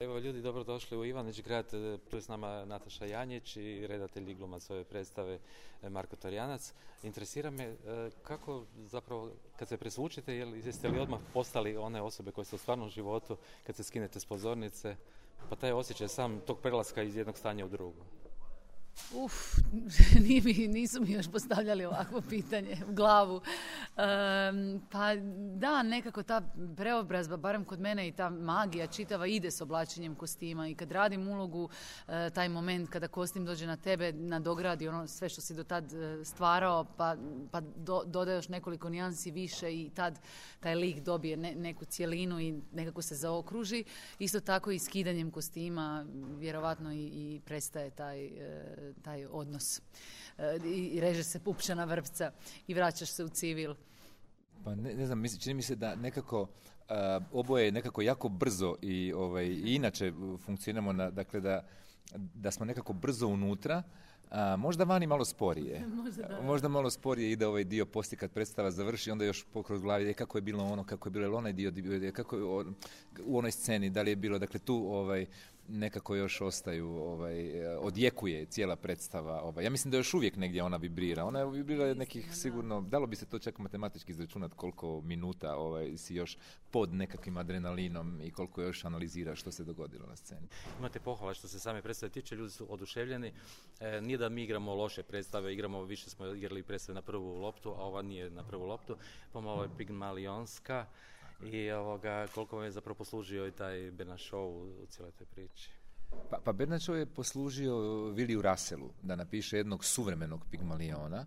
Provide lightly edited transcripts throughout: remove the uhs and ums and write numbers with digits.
Evo ljudi, dobrodošli u Ivanić grad, tu je s nama Nataša Janjić i redatelj i glumac ove predstave Marko Torjanac. Interesira me kako zapravo kad se presvučite, jeste li odmah postali one osobe koje ste u stvarnom životu kad se skinete s pozornice, pa taj osjećaj sam tog prelaska iz jednog stanja u drugo? Nisu mi još postavljali ovakvo pitanje u glavu. Pa da, nekako ta preobrazba, barem kod mene, i ta magija čitava ide s oblačenjem kostima, i kad radim ulogu, taj moment kada kostim dođe na tebe, nadogradi ono sve što si do tad stvarao, pa doda još nekoliko nijansi više i tad taj lik dobije neku cjelinu i nekako se zaokruži. Isto tako i skidanjem kostima vjerovatno i prestaje taj odnos. I reže se pupčana vrpca i vraćaš se u civil. Pa ne znam, čini mi se da nekako oboje nekako jako brzo i inače funkcioniramo, dakle da smo nekako brzo unutra, možda vani malo sporije. Možda malo sporije ide ovaj dio poslije kad predstava završi, onda još pokroz glavi kako je bilo ono, kako je bilo onaj dio, kako je u onoj sceni, da li je bilo, dakle tu nekako još ostaju, odjekuje cijela predstava. Ja mislim da još uvijek negdje ona vibrira. Ona je vibrira nekih sigurno, dalo bi se to čak matematički izračunati koliko minuta si još pod nekakvim adrenalinom i koliko još analizira što se dogodilo na sceni. Imate pohvala što se same predstave tiče, ljudi su oduševljeni. Nije da mi igramo loše predstave, više smo igrali predstave na prvu loptu, a ova nije na prvu loptu, pomalo je pigmalionska. I koliko vam je zapravo poslužio i taj Bernard Shaw u cijeloj toj priči? Pa Bernard Shaw je poslužio Williju Russellu da napiše jednog suvremenog Pigmaliona.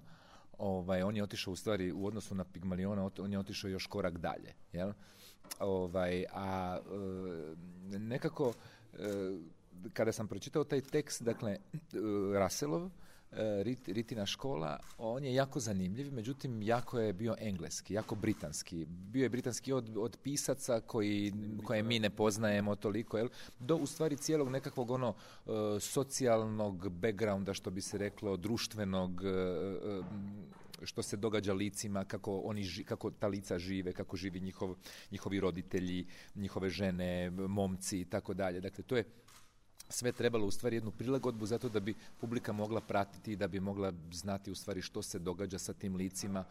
On je otišao u stvari u odnosu na Pigmaliona, on je otišao još korak dalje. Jel? Nekako kada sam pročitao taj tekst, dakle Russellov, Ritina škola, on je jako zanimljiv, međutim jako je bio engleski, jako britanski. Bio je britanski od pisaca koje mi ne poznajemo toliko, do u stvari cijelog nekakvog socijalnog backgrounda, što bi se reklo, društvenog, što se događa licima, kako ta lica žive, kako živi njihovi roditelji, njihove žene, momci i tako dalje. Dakle, to je sve trebalo u stvari jednu prilagodbu zato da bi publika mogla pratiti i da bi mogla znati u stvari što se događa sa tim licima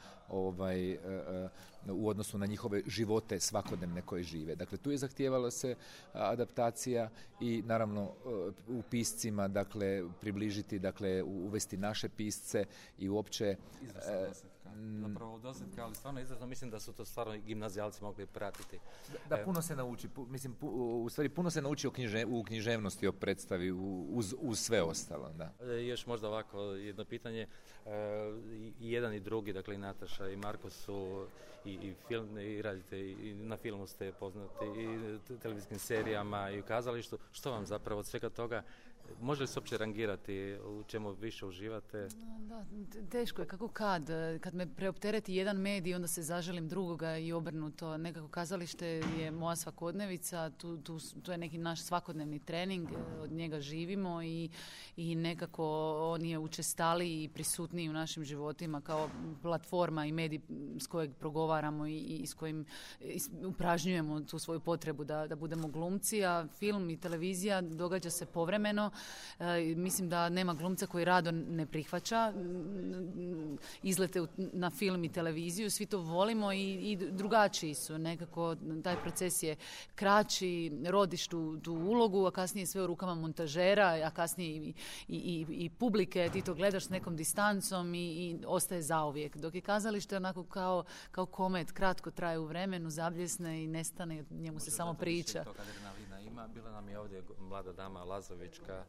u odnosu na njihove živote svakodnevne koje žive. Dakle, tu je zahtijevala se adaptacija i naravno u piscima, dakle, približiti, dakle, uvesti naše pisce i uopće... Zapravo dosadka, ali stvarno izrazno mislim da su to stvarno gimnazijalci mogli pratiti. Da, puno se nauči. U stvari puno se nauči u književnosti, o predstavi, uz sve ostalo. Da. Još možda ovako jedno pitanje. I jedan i drugi, dakle i Nataša i Marko su i film, i radite, i na filmu ste poznati, i televizijskim serijama, i u kazalištu. Što vam zapravo od svega toga, može li se uopće rangirati u čemu više uživate? Da, teško je, kako kad me preoptereti jedan medij, onda se zaželim drugoga i obrnuto. Nekako kazalište je moja svakodnevica, to je neki naš svakodnevni trening, od njega živimo i nekako on je učestaliji i prisutniji u našim životima kao platforma i medij s kojeg progovaramo i s kojim upražnjujemo tu svoju potrebu da budemo glumci, a film i televizija događa se povremeno. Mislim da nema glumca koji rado ne prihvaća izlete na film i televiziju, svi to volimo i drugačiji su. Nekako taj proces je kraći, rodiš tu ulogu, a kasnije sve u rukama montažera, a kasnije i publike, ti to gledaš s nekom distancom i ostaje zauvijek. Dok je kazalište onako kao komet, kratko traje u vremenu, zabljesne i nestane, njemu se samo priča. Bila nam je ovdje mlada dama Lazovićka,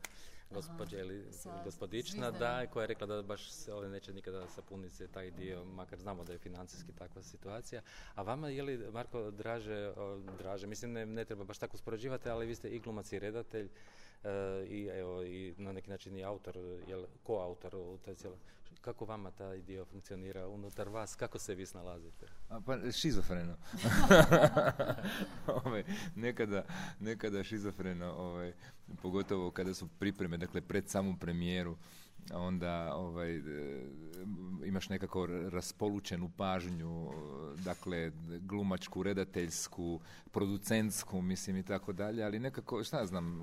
gospodična, koja je rekla da baš se neće nikada sapuniti taj dio, makar znamo da je financijski takva situacija. A vama je li, Marko, draže, mislim ne treba baš tako uspoređivati, ali vi ste i glumac i redatelj i na neki način i autor, koautor u toj cijeloj. Kako vama taj dio funkcionira unutar vas? Kako se vi snalazite? Pa šizofreno. Nekada šizofreno, pogotovo kada su pripreme. dakle pred samu premijeru, onda imaš nekako raspolučenu pažnju, dakle glumačku, redateljsku, producentsku, mislim i tako dalje, ali nekako, šta znam,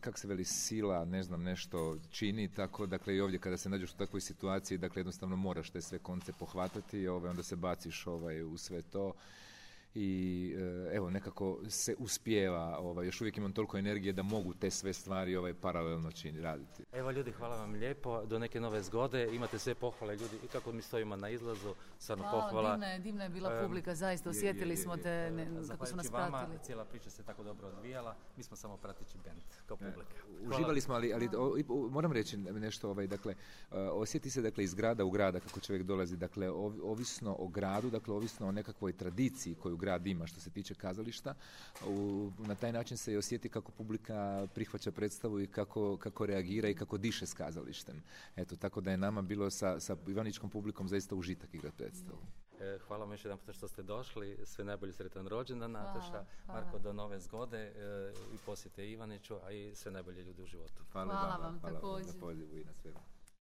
kako se veli, sila, ne znam, nešto čini, tako, dakle i ovdje kada se nađeš u takvoj situaciji, dakle jednostavno moraš te sve konce pohvatati, onda se baciš u sve to. I evo, nekako se uspijeva, još uvijek imam toliko energije da mogu te sve stvari paralelno raditi. Evo ljudi, hvala vam lijepo, do neke nove zgode, imate sve pohvale ljudi i kako mi stojimo na izlazu, stvarno pohvala. Divna je bila publika, zaista osjetili smo te kako su nas pratili. Vama, cijela priča se tako dobro odvijala, mi smo samo prateći band kao publika. Uživali smo, ali moram reći nešto, dakle, osjeti se dakle iz grada u grada kako čovjek dolazi, dakle ovisno o gradu, dakle ovisno o nekakvoj tradiciji koju grad ima što se tiče kazališta, na taj način se i osjeti kako publika prihvaća predstavu i kako reagira i kako diše s kazalištem. Eto, tako da je nama bilo sa ivaničkom publikom zaista užitak igrati predstavu. Hvala vam još jedan puta što ste došli, sve najbolje, sretan rođendan, Nataša. Marko, do nove zgode i posjete Ivaniću, a i sve najbolje ljudi u životu. Hvala vam također. Na pozivu i na svemu.